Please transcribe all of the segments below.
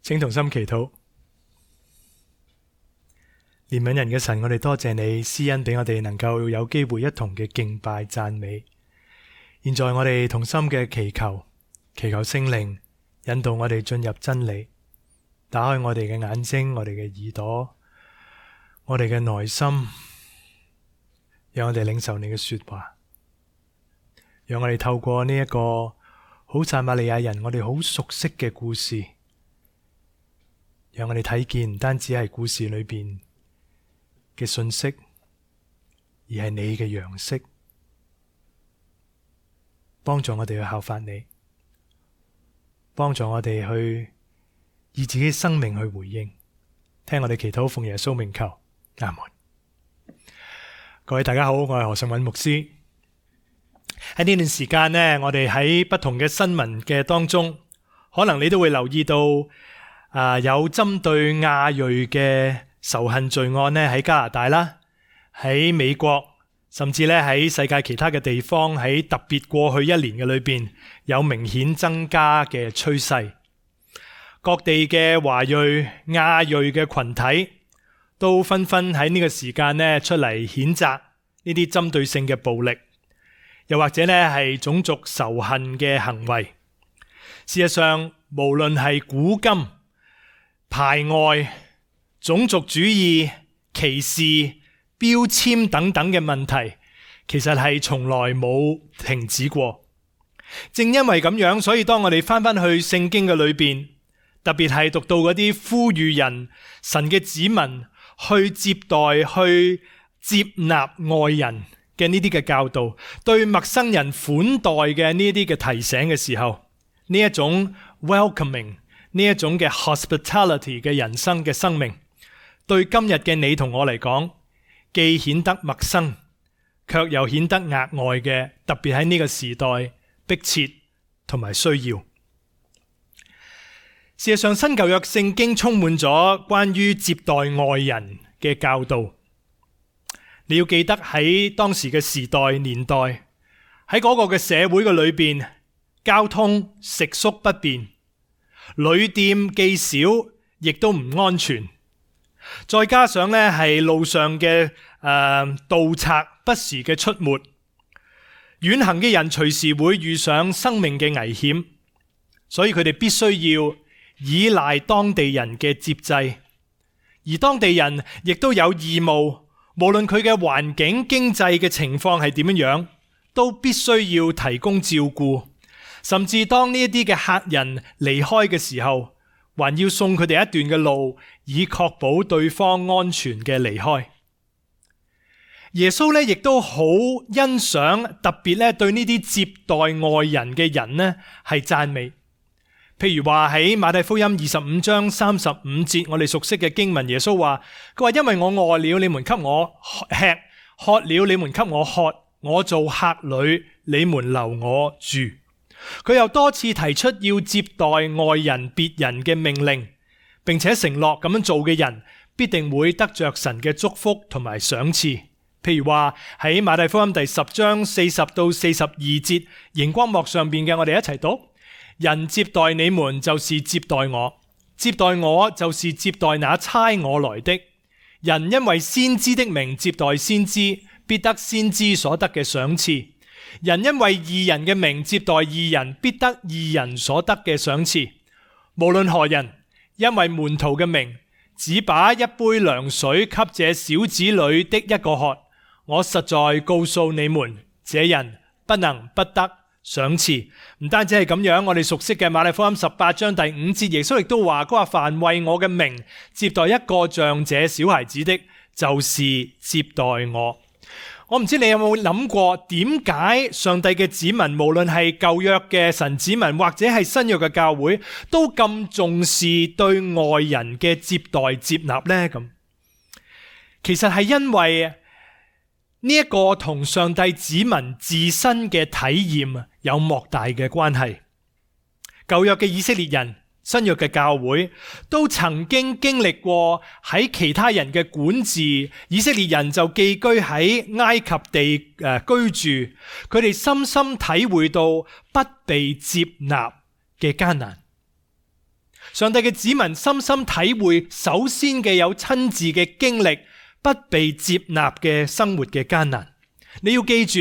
請同心祈禱。憐憫人嘅神，我哋多謝你施恩俾我哋能夠有機會一同嘅敬拜讚美。現在我哋同心嘅祈求聖靈引導我哋進入真理，打開我哋嘅眼睛，我哋嘅耳朵，我哋嘅內心，讓我哋領受你嘅說話，讓我哋透過呢一個好撒瑪利亞人我哋好熟悉嘅故事，讓我哋睇見唔單止係故事裏邊嘅信息，而係你嘅樣式，幫助我哋去效法你，幫助我哋去以自己生命去回應。聽我哋祈禱，奉耶穌名求，阿門。各位大家好，我係何尚允牧師。喺呢段時間呢，我哋喺不同嘅新聞嘅當中，可能你都會留意到有針對亞裔嘅仇恨罪案呢，喺加拿大啦，喺美國，甚至咧喺世界其他嘅地方，喺特別過去一年嘅裏邊有明顯增加嘅趨勢。各地嘅華裔、亞裔嘅群體都紛紛喺呢個時間呢出嚟譴責呢啲針對性嘅暴力，又或者呢係種族仇恨嘅行為。事實上，無論係古今、排外、種族主義、歧視、標籤等等嘅問題，其實係從來冇停止過。正因為咁樣，所以當我哋翻返去聖經嘅裏邊，特別係讀到嗰啲呼籲人、神嘅子民去接待、去接納外人嘅呢啲嘅教導，對陌生人款待嘅呢啲嘅提醒嘅時候，呢一種 welcoming， 呢一種嘅 hospitality 嘅人生嘅生命，對今日嘅你同我嚟講，既顯得陌生，卻又顯得額外嘅，特別喺呢個時代迫切同埋需要。事實上，新舊約聖經充滿咗關於接待外人嘅教導。你要記得喺當時嘅時代年代，喺嗰個嘅社會嘅裏邊，交通食宿不便，旅店既少，亦都唔安全。再加上呢係路上嘅盜賊不時嘅出沒，遠行嘅人隨時會遇上生命嘅危險，所以佢哋必須要依賴當地人嘅接濟，而當地人亦都有義務，無論佢嘅環境經濟嘅情況係點樣，都必須要提供照顧，甚至當呢一啲嘅客人離開嘅時候，還要送佢哋一段嘅路，以確保對方安全嘅離開。耶穌咧亦都好欣賞，特別咧對呢啲接待外人嘅人呢係讚美。譬如話喺馬太福音25章35節，我哋熟悉嘅經文，耶穌話：佢話因為我餓了，你們給我吃；渴了，你們給我喝；我做客旅，你們留我住。佢又多次提出要接待外人別人嘅命令，並且承諾咁樣做嘅人必定會得着神嘅祝福同埋賞賜。譬如話喺馬太福音第10章40到42節，熒光幕上邊嘅，我哋一齊讀：人接待你們，就是接待我；接待我，就是接待那差我來的。人因為先知的名接待先知，必得先知所得嘅賞賜。人因為義人嘅名接待義人，必得義人所得嘅賞賜。無論何人，因為門徒嘅名，只把一杯涼水給這小子裏的一個喝，我實在告訴你們，這人不能不得賞賜。唔單止係咁樣，我哋熟悉嘅馬太福音18章第5節，耶穌亦都話：佢話凡為我嘅名接待一個像這小孩子的，就是接待我。我唔知你有冇諗過，點解上帝嘅子民，無論係舊約嘅神子民，或者係新約嘅教會，都咁重視對外人嘅接待接納呢？咁其實係因為呢一個同上帝子民自身嘅體驗有莫大嘅關係。舊約嘅以色列人、新約嘅教會都曾經經歷過喺其他人嘅管治，以色列人就寄居喺埃及地居住，佢哋深深體會到不被接納嘅艱難。上帝嘅子民深深體會，首先嘅有親自嘅經歷，不被接納嘅生活嘅艱難。你要記住，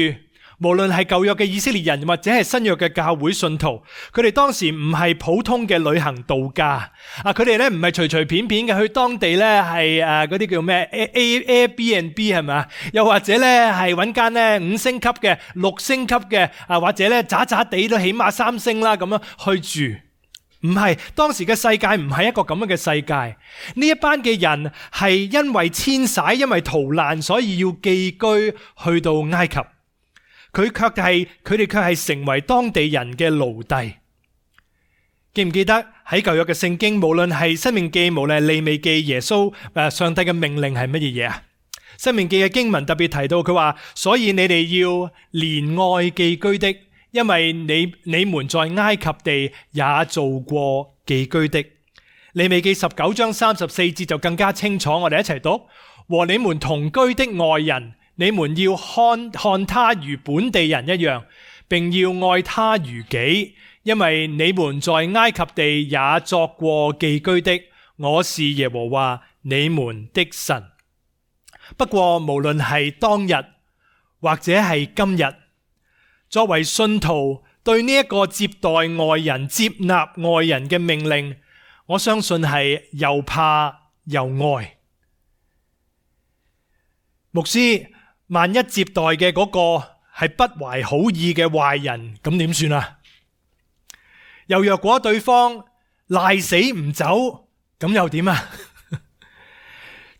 無論係舊約嘅以色列人或者係新約嘅教會信徒，佢哋當時唔係普通嘅旅行度假啊！佢哋咧唔係隨隨便便嘅去當地咧係嗰啲叫咩 Airbnb 係咪？又或者咧係揾間咧5星級嘅、6星級嘅啊，或者咧渣渣地都起碼3星啦咁樣去住。唔係，當時嘅世界唔係一個咁樣嘅世界。呢一班嘅人係因為遷徙、因為逃難，所以要寄居去到埃及。佢哋卻係成為當地人嘅奴隸。記唔記得喺舊約嘅聖經，無論係申命記，無論係利未記，耶穌上帝嘅命令係乜嘢啊？申命記嘅經文特別提到，佢話：所以你哋要憐愛寄居的，因為你們在埃及地也做過寄居的。利未記19章34節就更加清楚，我哋一齊讀：和你們同居的外人，你們要看他如本地人一樣，並要愛他如己，因為你們在埃及地也作過寄居的。我是耶和華你們的神。不過無論係當日或者係今日，作為信徒對呢一個接待外人、接納外人嘅命令，我相信係又怕又愛。牧師，萬一接待嘅嗰個係不懷好意嘅壞人，咁點算啊？又若果對方賴死唔走，咁又點啊？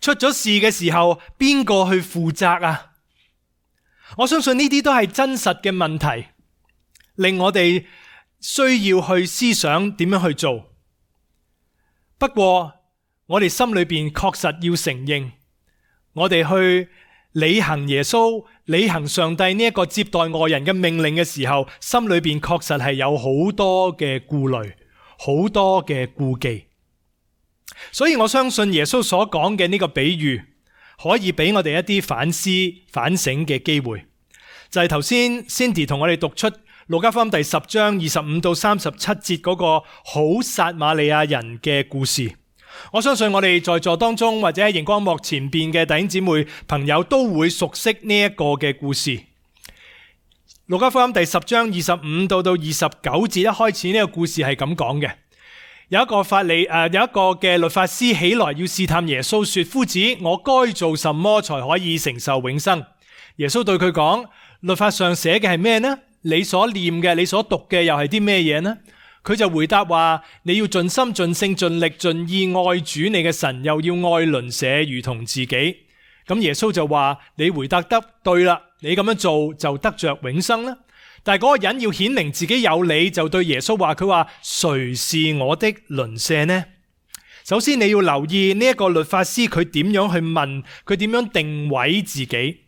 出咗事嘅時候，邊個去負責啊？我相信呢啲都係真實嘅問題，令我哋需要去思想點樣去做。不過我哋心裏邊確實要承認，我哋去履行耶穌、履行上帝呢一個接待外人嘅命令嘅時候，心裏邊確實係有好多嘅顧慮，好多嘅顧忌。所以我相信耶穌所講嘅呢個比喻，可以俾我哋一啲反思、反省嘅機會。就係頭先 Cindy 同我哋讀出路加福音第10章25到37節嗰個好撒瑪利亞人嘅故事。我相信我哋在座當中或者喺熒光幕前邊嘅弟兄姊妹朋友都會熟悉呢一個嘅故事。路加福音第10章25到29節一開始，呢個故事係咁講嘅。有一個嘅律法師起來要試探耶穌，說：夫子，我該做什麼才可以承受永生？耶穌對佢講：律法上寫嘅係咩呢？你所念嘅，你所讀嘅又係啲咩嘢呢？佢就回答話：你要盡心盡性盡力盡意愛主你嘅神，又要愛鄰舍如同自己。咁耶穌就話：你回答得對啦，你咁樣做就得着永生啦。但係嗰個人要顯明自己有理，就對耶穌話：佢話誰是我的鄰舍呢？首先你要留意呢一個律法師佢點樣去問，佢點樣定位自己。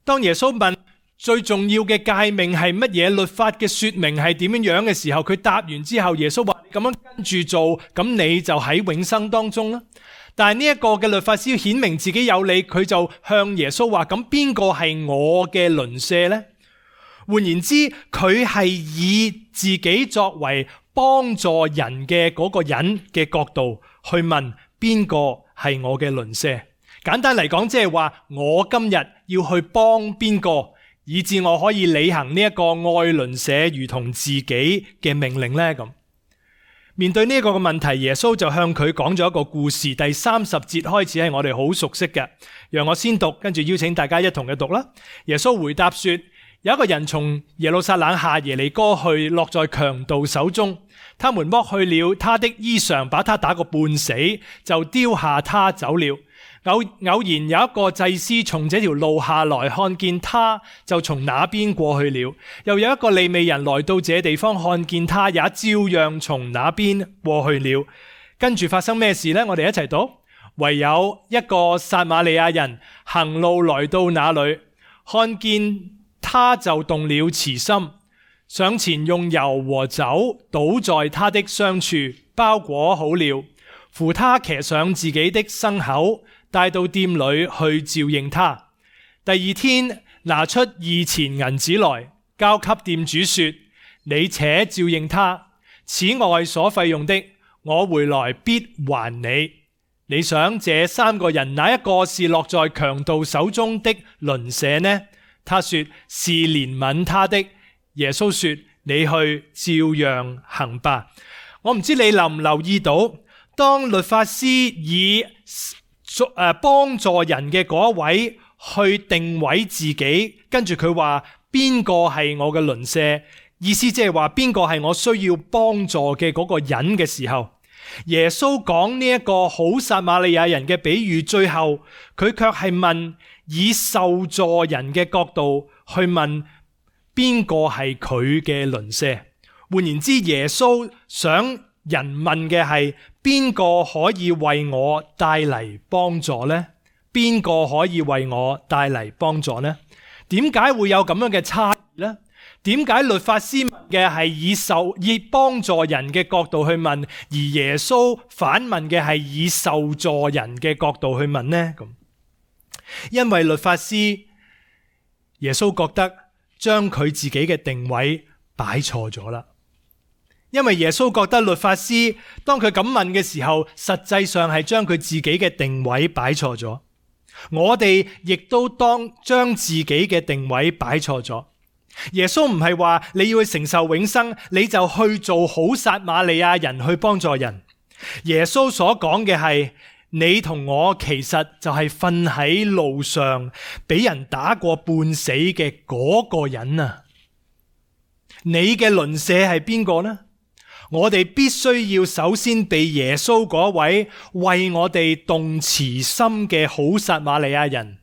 當耶穌問最重要嘅誡命係乜嘢，律法嘅說明係點樣嘅時候，佢答完之後，耶穌話：咁樣跟住做，咁你就喺永生當中啦。但係呢一個嘅律法師要顯明自己有理，佢就向耶穌話：咁邊個係我嘅鄰舍呢？換言之，佢係以自己作為幫助人嘅嗰個人嘅角度去問邊個係我嘅鄰舍。簡單嚟講，即係話我今日要去幫邊個，以致我可以履行呢一個愛鄰舍如同自己嘅命令呢？咁面對呢一個嘅問題，耶穌就向佢講咗一個故事。第30節開始係我哋好熟悉嘅，讓我先讀，跟住邀請大家一同嘅讀啦。耶穌回答說：有一個人從耶路撒冷下耶利哥去，落在強盜手中，他們剝去了他的衣裳，把他打個半死，就丟下他走了。偶然有一個祭司從這條路下來，看見他，就從那邊過去了。又有一個利未人來到這地方，看見他，也照樣從那邊過去了。跟住發生咩事呢？我哋一齊讀。唯有一個撒瑪利亞人行路來到那裏，看見他就動了慈心，上前用油和酒倒在他的傷處，包裹好了，扶他騎上自己的牲口，帶到店裏去照應他。第二天拿出2錢銀子來，交給店主說：你且照應他，此外所費用的，我回來必還你。你想這3個人哪一個是落在強盜手中的鄰舍呢？他說是憐憫他的。耶穌說你去照樣行吧。我唔知你留唔留意到，當律法師以幫助人嘅嗰一位去定位自己，跟住佢話邊個係我嘅鄰舍，意思即係話邊個係我需要幫助嘅嗰個人嘅時候，耶穌講呢一個好撒瑪利亞人嘅比喻，最後佢卻係問以受助人嘅角度去問邊個係佢嘅鄰舍。換言之，耶穌想人問嘅係邊個可以為我帶嚟幫助呢？邊個可以為我帶嚟幫助呢？點解會有咁樣嘅差異呢？點解律法師問嘅係以幫助人嘅角度去問，而耶穌反問嘅係以受助人嘅角度去問呢？因為律法師耶穌覺得將佢自己嘅定位擺錯咗啦。因為耶穌覺得律法師當佢咁問嘅時候，實際上係將佢自己嘅定位擺錯咗。我哋亦都當將自己嘅定位擺錯咗。耶穌唔係話你要去承受永生，你就去做好撒瑪利亞人去幫助人。耶穌所講嘅係你同我其實就係瞓喺路上俾人打過半死嘅嗰個人啊！你嘅鄰舍係邊個呢？我哋必須要首先被耶穌嗰位為我哋動慈心嘅好撒瑪利亞人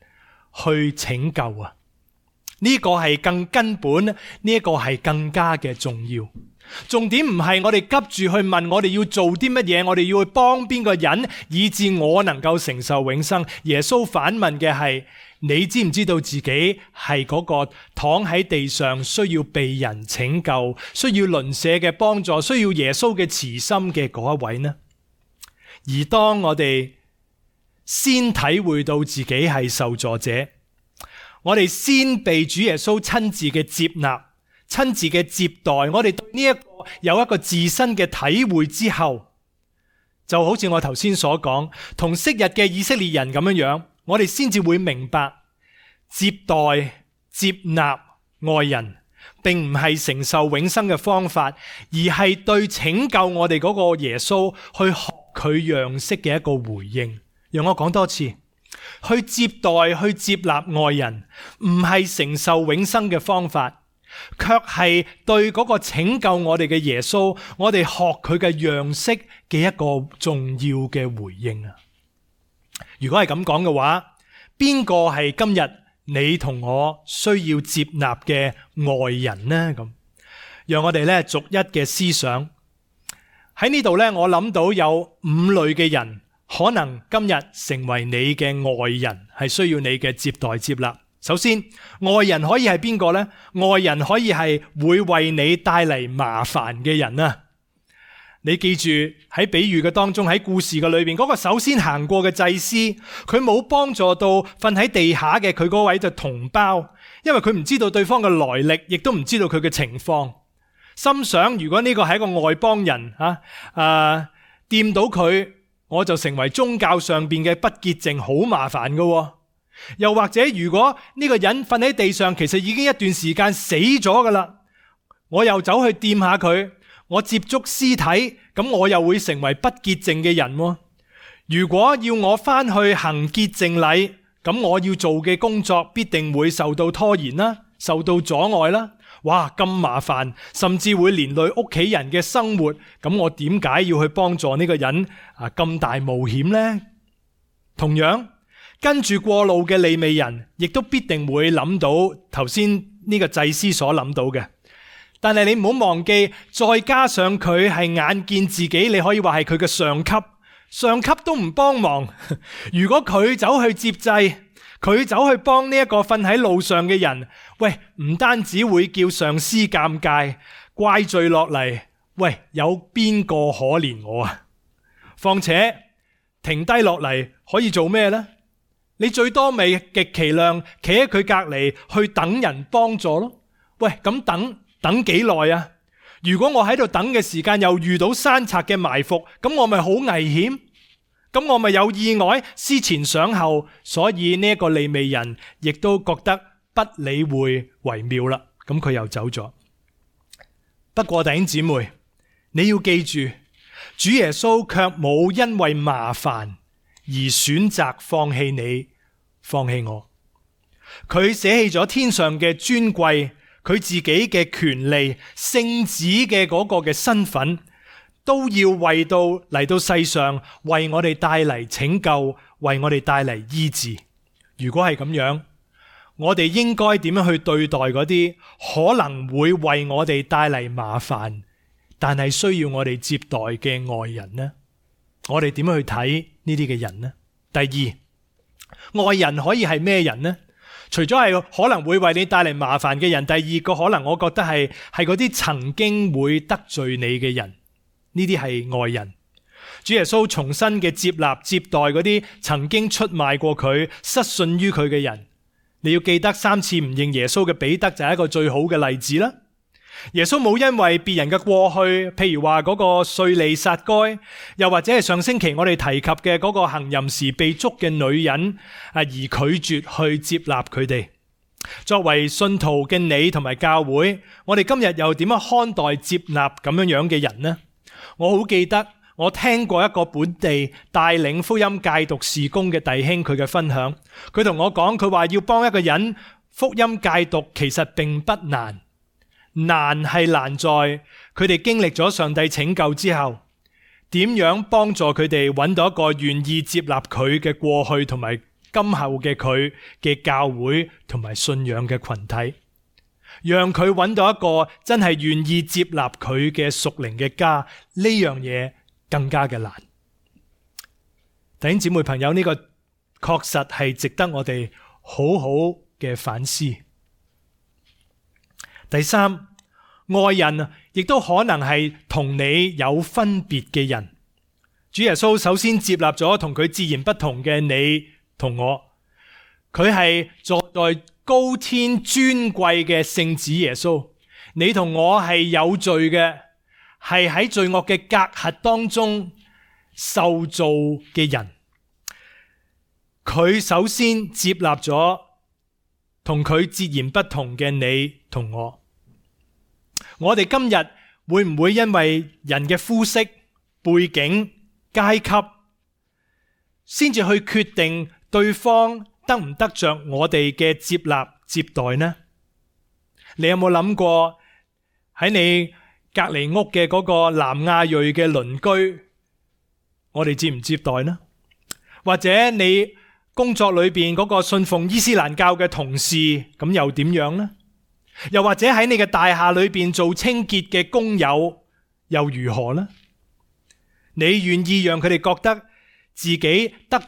去拯救啊！呢個係更根本，呢個係更加嘅重要。重點唔係我哋急住去問我哋要做啲乜嘢，我哋要去幫邊個人，以致我能夠承受永生。耶穌反問嘅係，你知唔知道自己係嗰個躺喺地上需要被人拯救，需要鄰舍嘅幫助，需要耶穌嘅慈心嘅嗰一位呢？而當我哋先體會到自己係受助者，我哋先被主耶穌親自嘅接納、親自嘅接待，我哋對呢一個有一個自身嘅體會之後，就好似我頭先所講，同昔日嘅以色列人咁樣，我哋先至會明白接待、接納愛人，並唔係承受永生嘅方法，而係對拯救我哋嗰個耶穌去學佢樣式嘅一個回應。讓我講多次。去接待、去接納愛人，唔係承受永生嘅方法，卻係對嗰個拯救我哋嘅耶穌，我哋學佢嘅樣式嘅一個重要嘅回應啊！如果係咁講嘅話，邊個係今日你同我需要接納嘅愛人呢？咁，讓我哋咧逐一嘅思想。喺呢度咧，我諗到有5類嘅人。可能今日成為你嘅愛人，係需要你嘅接待接納。首先，愛人可以係邊個呢？愛人可以係會為你帶嚟麻煩嘅人啊！你記住喺比喻嘅當中，喺故事嘅裏邊，嗰個首先行過嘅祭司，佢冇幫助到瞓喺地下嘅佢嗰位嘅同胞，因為佢唔知道對方嘅來歷，亦都唔知道佢嘅情況。心想如果呢個係一個外邦人掂到佢，我就成為宗教上邊嘅不潔淨，好麻煩㗎。又或者如果呢個人瞓喺地上，其實已經一段時間死咗㗎喇，我又走去掂下佢，我接觸屍體，咁我又會成為不潔淨嘅人。如果要我返去行潔淨禮，咁我要做嘅工作必定會受到拖延啦，受到阻礙啦。哇，咁麻煩，甚至會連累屋企人嘅生活，咁我點解要去幫助呢個人咁大冒險呢？同樣跟住過路嘅利未人，亦都必定會諗到頭先呢個祭司所諗到嘅。但係你唔好忘記，再加上佢係眼見自己，你可以話係佢嘅上級都唔幫忙。如果佢走去接濟，佢走去幫呢一個瞓喺路上嘅人，喂，唔單止會叫上司尷尬，怪罪落嚟，喂，有邊個可憐我啊？況且停低落嚟可以做咩呢？你最多咪極其量企喺佢隔離去等人幫助咯。喂，咁等幾耐啊？如果我喺度等嘅時間又遇到山賊嘅埋伏，咁我咪好危險？咁我咪有意外，思前想後，所以呢一個利未人亦都覺得不理會為妙啦。咁佢又走咗。不過弟兄姊妹，你要記住，主耶穌卻冇因為麻煩而選擇放棄你，放棄我。佢捨棄咗天上嘅尊貴，佢自己嘅權利，聖子嘅嗰個嘅身份，都要嚟到世上為我哋帶嚟拯救，為我哋帶嚟醫治。如果係咁樣，我哋應該點樣去對待嗰啲可能會為我哋帶嚟麻煩，但係需要我哋接待嘅外人呢？我哋點樣去睇呢啲嘅人呢？第二，外人可以係咩人呢？除咗係可能會為你帶嚟麻煩嘅人，第二個可能我覺得係嗰啲曾經會得罪你嘅人，呢啲係外人。主耶穌重新嘅接納接待嗰啲曾經出賣過佢、失信於佢嘅人。你要記得3次唔認耶穌嘅彼得就係一個最好嘅例子啦。耶穌冇因為別人嘅過去，譬如話嗰個稅吏撒該，又或者係上星期我哋提及嘅嗰個行淫時被捉嘅女人而拒絕去接納佢哋。作為信徒嘅你同埋教會，我哋今日又點樣看待接納咁樣嘅人呢？我好記得我聽過一個本地帶領福音戒毒事工嘅弟兄佢嘅分享，佢同我講，佢話要幫一個人福音戒毒其實並不難。難係難在佢哋經歷咗上帝拯救之後，點樣幫助佢哋揾到一個願意接納佢嘅過去同埋今後嘅佢嘅教會同埋信仰嘅群體，讓佢揾到一個真係願意接納佢嘅屬靈嘅家，呢樣嘢更加嘅難。弟兄姊妹朋友，呢個確實係值得我哋好好嘅反思。第三，外人亦都可能係同你有分別嘅人。主耶穌首先接納咗同佢自然不同嘅你同我，佢係坐在高天尊貴嘅聖子耶穌，你同我係有罪嘅，係喺罪惡嘅隔閡當中受造嘅人。佢首先接納咗同佢截然不同嘅你同我。我哋今日會唔會因為人嘅膚色、背景、階級，先至去決定對方得唔得着我哋嘅接納接待呢？你有冇諗過喺你隔離屋嘅嗰個南亞裔嘅鄰居，我哋接唔接待呢？或者你工作裏邊嗰個信奉伊斯蘭教嘅同事，咁又點樣呢？又或者喺你嘅大廈裏邊做清潔嘅工友又如何呢？你願意讓佢哋覺得自己得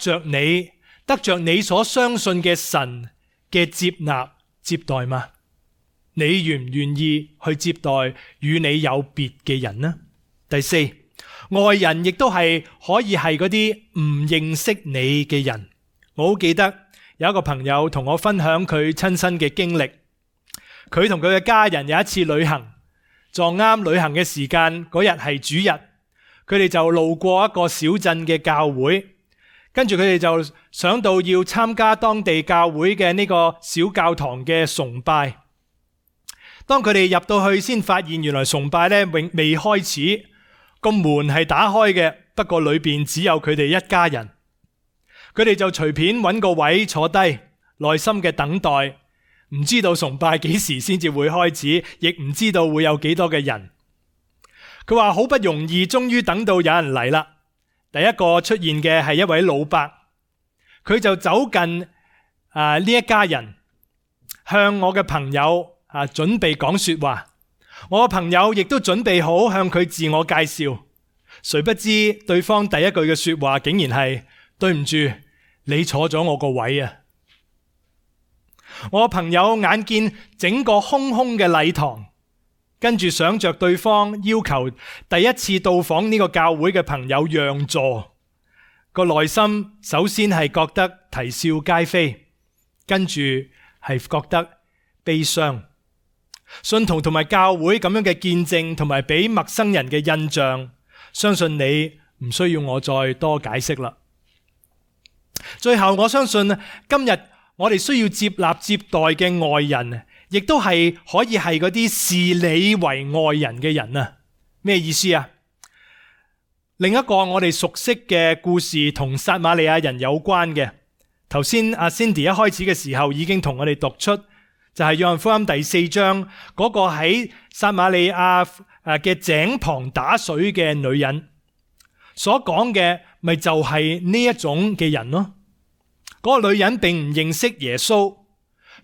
着你所相信嘅神嘅接納接待嗎？你願唔願意去接待與你有別嘅人呢？第四，外人亦都係可以係嗰啲唔認識你嘅人。我好記得有一個朋友同我分享佢親身嘅經歷。佢同佢嘅家人有一次旅行，撞啱旅行嘅時間，嗰日係主日，佢哋就路過一個小鎮嘅教會，跟住佢哋就想到要參加當地教會嘅呢個小教堂嘅崇拜。當佢哋入到去，先發現原來崇拜咧未開始，個門係打開嘅，不過裏邊只有佢哋一家人。佢哋就隨便揾個位坐低，耐心嘅等待。唔知道崇拜幾時先至會開始，亦唔知道會有幾多嘅人。佢話好不容易終於等到有人嚟啦。第一個出現嘅係一位老伯，佢就走近呢一家人，向我嘅朋友準備講說話。我嘅朋友亦都準備好向佢自我介紹，誰不知對方第一句嘅說話竟然係：對唔住，你坐咗我個位啊！我朋友眼見整個空空嘅禮堂，跟住想着對方要求第一次到訪呢個教會嘅朋友讓座，個內心首先係覺得啼笑皆非，跟住係覺得悲傷。信徒同埋教會咁樣嘅見證同埋俾陌生人嘅印象，相信你唔需要我再多解釋啦。最後，我相信今日我哋需要接納接待嘅外人，亦都係可以係嗰啲視你為外人嘅人啊。咩意思啊？另一個我哋熟悉嘅故事同撒瑪利亞人有關嘅，頭先阿 Cindy 一開始嘅時候已經同我哋讀出，就係約翰福音第4章嗰個喺撒瑪利亞嘅井旁打水嘅女人所講嘅，咪就係呢一種嘅人咯。嗰個女人並唔認識耶穌，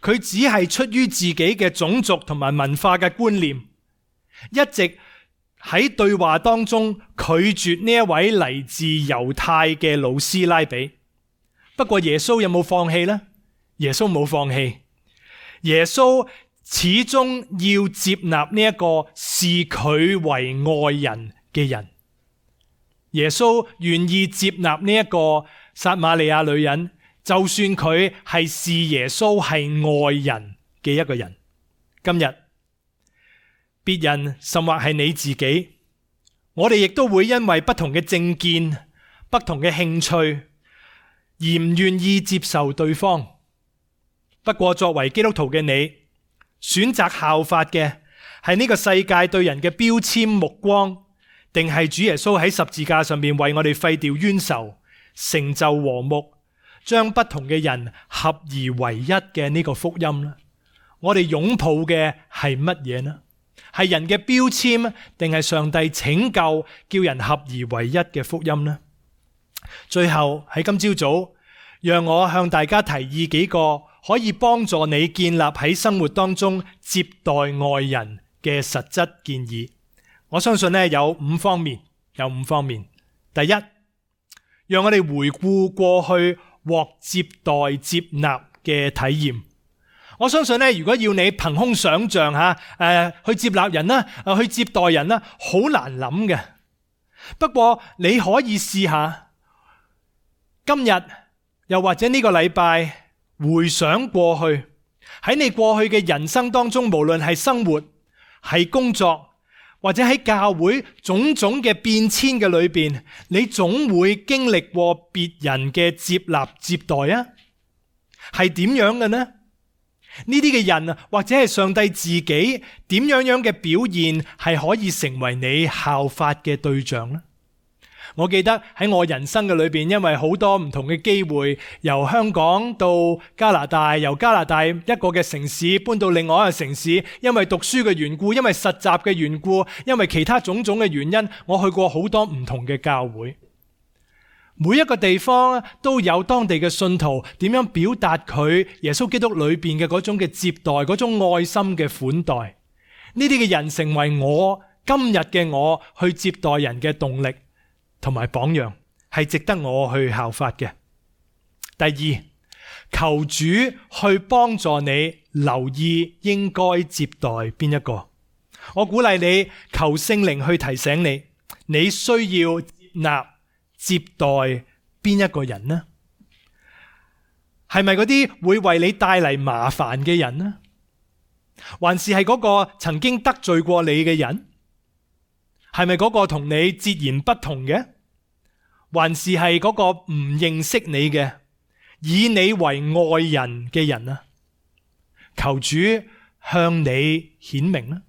佢只係出於自己嘅種族同埋文化嘅觀念，一直喺對話當中拒絕呢一位嚟自猶太嘅老師拉比。不過耶穌有冇放棄呢？耶穌冇放棄，耶穌始終要接納呢一個視佢為外人嘅人。耶穌願意接納呢一個撒瑪利亞女人，就算佢係視耶穌係外人嘅一個人。今日別人甚或係你自己，我哋亦都會因為不同嘅政見、不同嘅興趣而唔願意接受對方。不過作為基督徒嘅你，選擇效法嘅係呢個世界對人嘅標籤目光，定係主耶穌喺十字架上面為我哋廢掉冤仇、成就和睦、將不同嘅人合而為一嘅呢個福音呢？我哋擁抱嘅係乜嘢呢？係人嘅標籤，定係上帝拯救叫人合而為一嘅福音呢？最後喺今朝早，讓我向大家提議幾個可以幫助你建立喺生活當中接待外人嘅實質建議。我相信呢有五方面。第一，讓我哋回顧過去獲接待接納嘅體驗。我相信呢，如果要你憑空想象去接納人啦，去接待人啦，好難諗嘅。不過你可以試下，今日又或者呢個禮拜回想過去，喺你過去嘅人生當中，無論係生活、係工作，或者喺教會種種嘅變遷嘅裏邊，你總會經歷過別人嘅接納接待啊，係點樣嘅呢？呢啲嘅人或者係上帝自己點樣嘅表現係可以成為你效法嘅對象呢？我記得喺我人生嘅裏邊，因為好多唔同嘅機會，由香港到加拿大，由加拿大一個嘅城市搬到另外一個城市，因為讀書嘅緣故，因為實習嘅緣故，因為其他種種嘅原因，我去過好多唔同嘅教會。每一個地方都有當地嘅信徒點樣表達佢耶穌基督裏邊嘅嗰種嘅接待，嗰種愛心嘅款待。呢啲嘅人成為我今日嘅我去接待人嘅動力同埋榜樣，係值得我去效法嘅。第二，求主去幫助你留意應該接待邊一個。我鼓勵你求聖靈去提醒你，你需要接納接待邊一個人呢？係咪嗰啲會為你帶嚟麻煩嘅人呢？還是係嗰個曾經得罪過你嘅人？係咪嗰個同你截然不同嘅？還是係嗰個唔認識你嘅，以你為外人嘅人啊？求主向你顯明啦！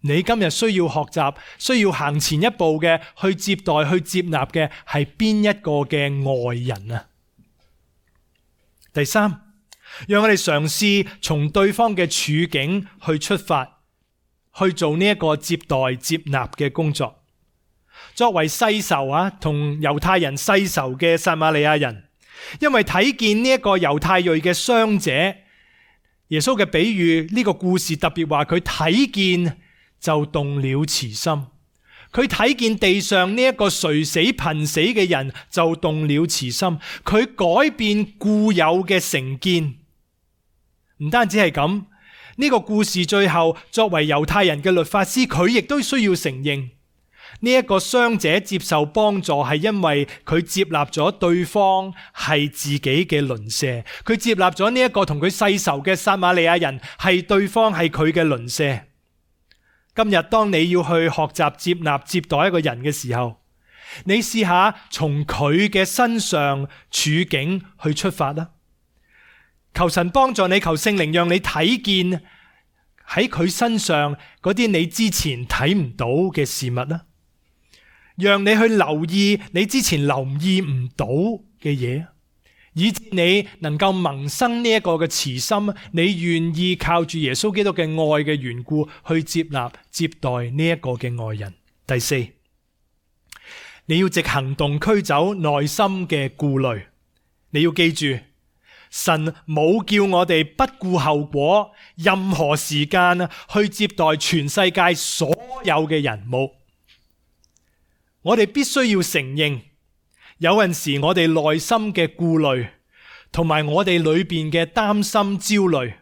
你今日需要學習，需要行前一步嘅，去接待、去接納嘅係邊一個嘅外人啊？第三，讓我哋嘗試從對方嘅處境去出發，去做呢一個接待接納嘅工作。作為世仇同猶太人世仇嘅撒瑪利亞人，因為睇見呢一個猶太裔嘅傷者，耶穌嘅比喻呢個故事特別話佢睇見就動了慈心，佢睇見地上呢一個垂死瀕死嘅人就動了慈心，佢改變固有嘅成見。唔單止係咁，呢個故事最後作為猶太人嘅律法師，佢亦都需要承認呢一個傷者接受幫助係因為佢接納咗對方係自己嘅鄰舍，佢接納咗呢一個同佢世仇嘅撒瑪利亞人係對方係佢嘅鄰舍。今日當你要去學習接納接待一個人嘅時候，你試下從佢嘅身上處境去出發啦。求神幫助你，求聖靈讓你睇見喺佢身上嗰啲你之前睇唔到嘅事物啦，讓你去留意你之前留意唔到嘅嘢，以致你能夠萌生呢一個嘅慈心，你願意靠住耶穌基督嘅愛嘅緣故去接納接待呢一個嘅愛人。第四，你要藉行動驅走內心嘅顧慮。你要記住，神冇叫我哋不顧後果，任何時間去接待全世界所有嘅人，冇。我哋必須要承認，有陣時我哋內心嘅顧慮同埋我哋裏邊嘅擔心焦慮，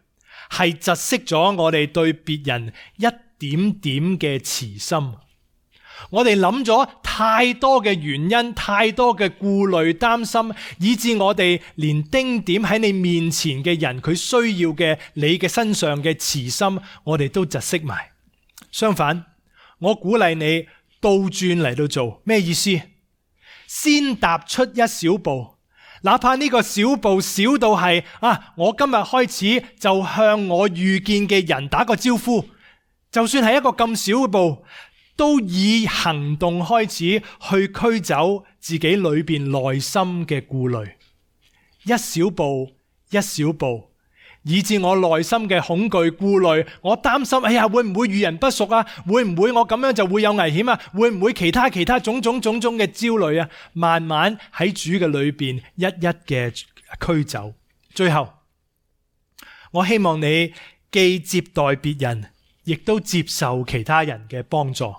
係窒息咗我哋對別人一點點嘅慈心。我哋諗咗太多嘅原因，太多嘅顧慮擔心，以致我哋連丁點喺你面前嘅人佢需要嘅你嘅身上嘅慈心，我哋都窒息埋。相反，我鼓勵你倒轉嚟到做。咩意思？先踏出一小步，哪怕呢個小步小到係我今日開始就向我遇見嘅人打個招呼，就算係一個咁小嘅步，都以行動開始去驅走自己裏邊內心嘅顧慮，一小步一小步，以致我內心嘅恐懼顧慮，我擔心會唔會與人不淑啊？會唔會我咁樣就會有危險啊？會唔會其他種種嘅焦慮啊？慢慢喺主嘅裏邊一一嘅驅走。最後，我希望你既接待別人，亦都接受其他人嘅幫助。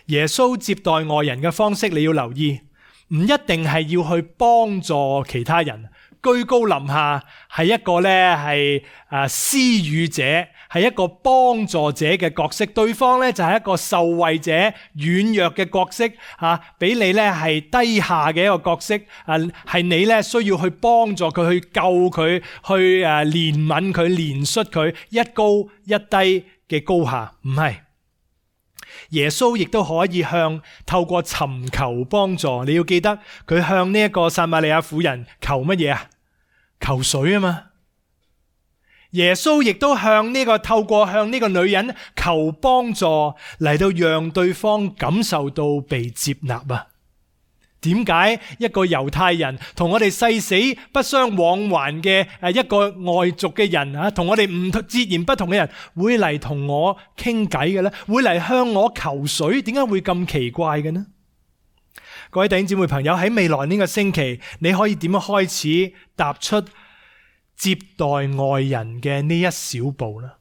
耶穌接待外人嘅方式，你要留意，唔一定係要去幫助其他人，居高臨下，係一個係施予者，係一個幫助者嘅角色。對方就係一個受惠者、軟弱嘅角色，俾你係低下嘅一個角色，係你需要去幫助佢，去救佢，去憐憫佢、憐恤佢，一高一低嘅高下，唔係。耶穌亦都可以透過尋求幫助。你要記得佢向呢一個撒瑪利亞婦人求乜嘢啊？求水啊嘛。耶穌亦都透過向呢個女人求幫助，嚟到讓對方感受到被接納啊。點解一個猶太人同我哋誓死不相往還嘅一個外族嘅人同我哋截然不同嘅人會嚟同我傾偈嘅呢？會嚟向我求水？點解會咁奇怪嘅呢？各位弟兄姊妹朋友，喺未來呢個星期，你可以點樣開始踏出接待外人嘅呢一小步呢？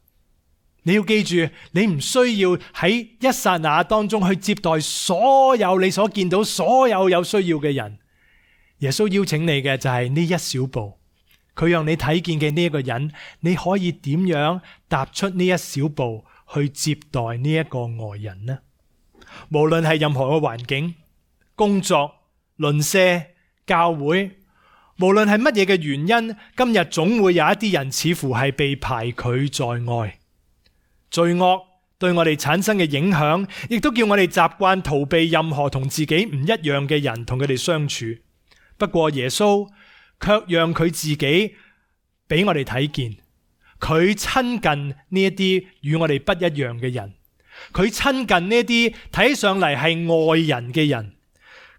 你要記住，你唔需要喺一剎那當中去接待所有你所見到所有有需要嘅人。耶穌邀請你嘅就係呢一小步，佢讓你睇見嘅呢一個人，你可以點樣踏出呢一小步去接待呢一個外人呢？無論係任何嘅環境、工作、鄰舍、教會，無論係乜嘢嘅原因，今日總會有一啲人似乎係被排拒在外。罪惡對我哋產生嘅影響，亦都叫我哋習慣逃避任何同自己唔一樣嘅人，同佢哋相處。不過耶穌卻讓佢自己俾我哋睇見，佢親近呢一啲與我哋不一樣嘅人，佢親近呢一啲睇上嚟係外人嘅人，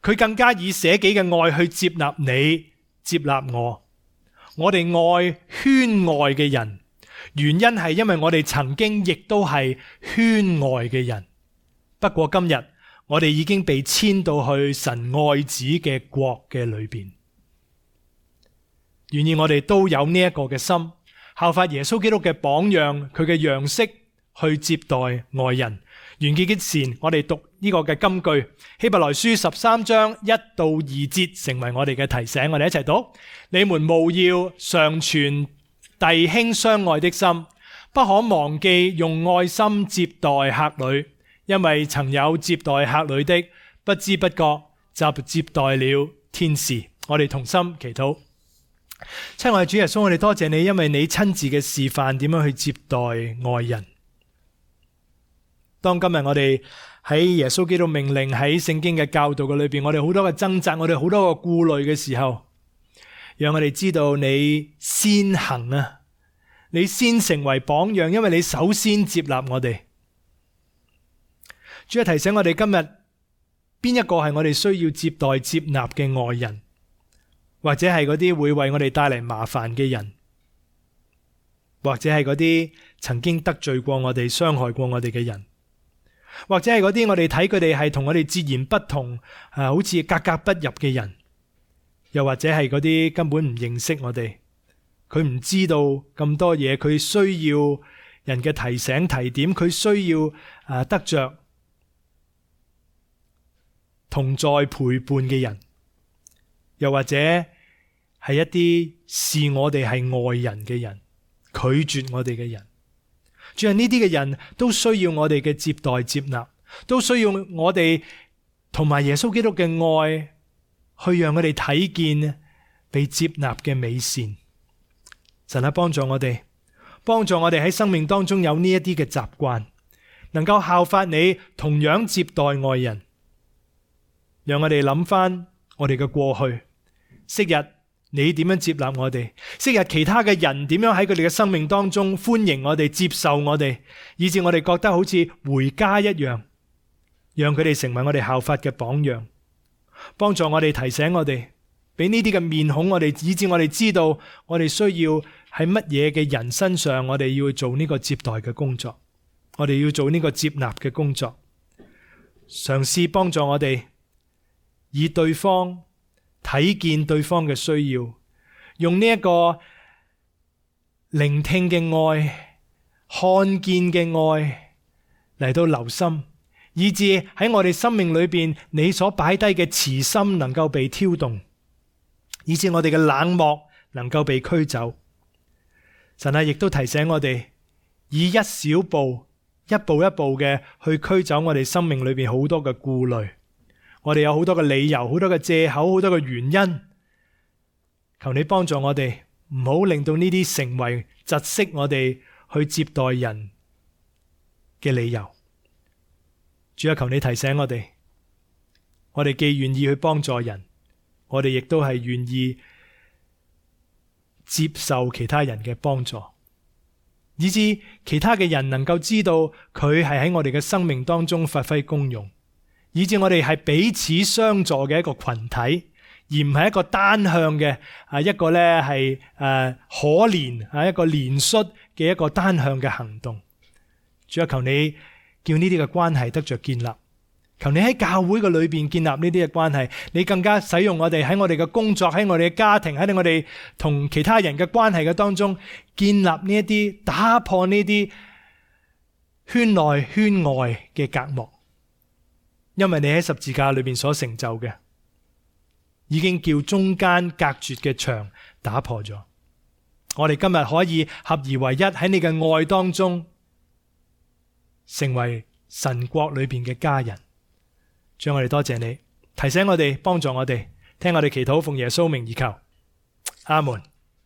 佢更加以捨己嘅愛去接納你，接納我。我哋愛圈外嘅人，原因係因為我哋曾經亦都係圈外嘅人。不過今日我哋已經被遷到去神愛子嘅國嘅裏邊。願意我哋都有呢一個嘅心，效法耶穌基督嘅榜樣，佢嘅樣式去接待外人。完結之前，我哋讀呢個嘅金句，希伯來書13章1到2節，成為我哋嘅提醒。我哋一齊讀：你們務要常存弟兄相愛的心，不可忘記用愛心接待客旅，因為曾有接待客旅的，不知不覺就接待了天使。我哋同心祈禱。親愛的主耶穌，我哋多謝你，因為你親自嘅示範點樣去接待外人。當今日我哋喺耶穌基督命令喺聖經嘅教導嘅裏邊，我哋好多嘅掙扎，我哋好多嘅顧慮嘅時候，讓我哋知道你先行啊，你先成為榜樣，因為你首先接納我哋。主要提醒我哋今日邊一個係我哋需要接待接納嘅外人，或者係嗰啲會為我哋帶嚟麻煩嘅人，或者係嗰啲曾經得罪過我哋、傷害過我哋嘅人，或者係嗰啲我哋睇佢哋係同我哋截然不同，好似格格不入嘅人，又或者係嗰啲根本唔認識我哋，佢唔知道咁多嘢，佢需要人嘅提醒提點，佢需要得着同在陪伴嘅人，又或者係一啲視我哋係外人嘅人，拒絕我哋嘅人。主啊，呢啲嘅人都需要我哋嘅接待接納，都需要我哋同埋耶穌基督嘅愛，去讓佢哋睇見被接納嘅美善。神啊，幫助我哋喺生命當中有呢一啲嘅習慣，能夠效法你，同樣接待外人。讓我哋諗翻我哋嘅過去，昔日你點樣接納我哋？昔日其他嘅人點樣喺佢哋嘅生命當中歡迎我哋、接受我哋，以致我哋覺得好似回家一樣，讓佢哋成為我哋效法嘅榜樣，幫助我哋提醒我哋，俾呢啲嘅面孔我哋，以致我哋知道我哋需要喺乜嘢嘅人身上，我哋要做呢個接待嘅工作，我哋要做呢個接納嘅工作，嘗試幫助我哋以對方睇見對方嘅需要，用呢一個聆聽嘅愛、看見嘅愛嚟到留心，以致喺我哋生命裏邊，你所擺低嘅慈心能夠被挑動，以致我哋嘅冷漠能夠被驅走。神啊，亦都提醒我哋以一小步、一步一步嘅去驅走我哋生命裏邊好多嘅顧慮。我哋有好多嘅理由，好多嘅借口，好多嘅原因。求你幫助我哋，唔好令到呢啲成為窒息我哋去接待人嘅理由。主啊，求你提醒我哋，我哋既願意去幫助人，我哋亦都係願意接受其他人嘅幫助，以致其他嘅人能夠知道佢係喺我哋嘅生命當中發揮功用。以致我哋係彼此相助嘅一個群體，而唔係一個單向嘅一個咧係可憐一個憐恤嘅一個單向嘅行動。主啊，求你叫呢啲嘅關係得着建立，求你喺教會嘅裏邊建立呢啲嘅關係，你更加使用我哋喺我哋嘅工作、喺我哋嘅家庭、喺我哋同其他人嘅關係嘅當中，建立呢一啲，打破呢啲圈內圈外嘅隔膜。因為你喺十字架裏面所成就嘅，已經叫中間隔絕嘅牆打破咗。我哋今日可以合而為一，喺你嘅愛當中，成為神國裏邊嘅家人。主啊，我哋多謝你，提醒我哋，幫助我哋，聽我哋祈禱，奉耶穌名而求，阿門。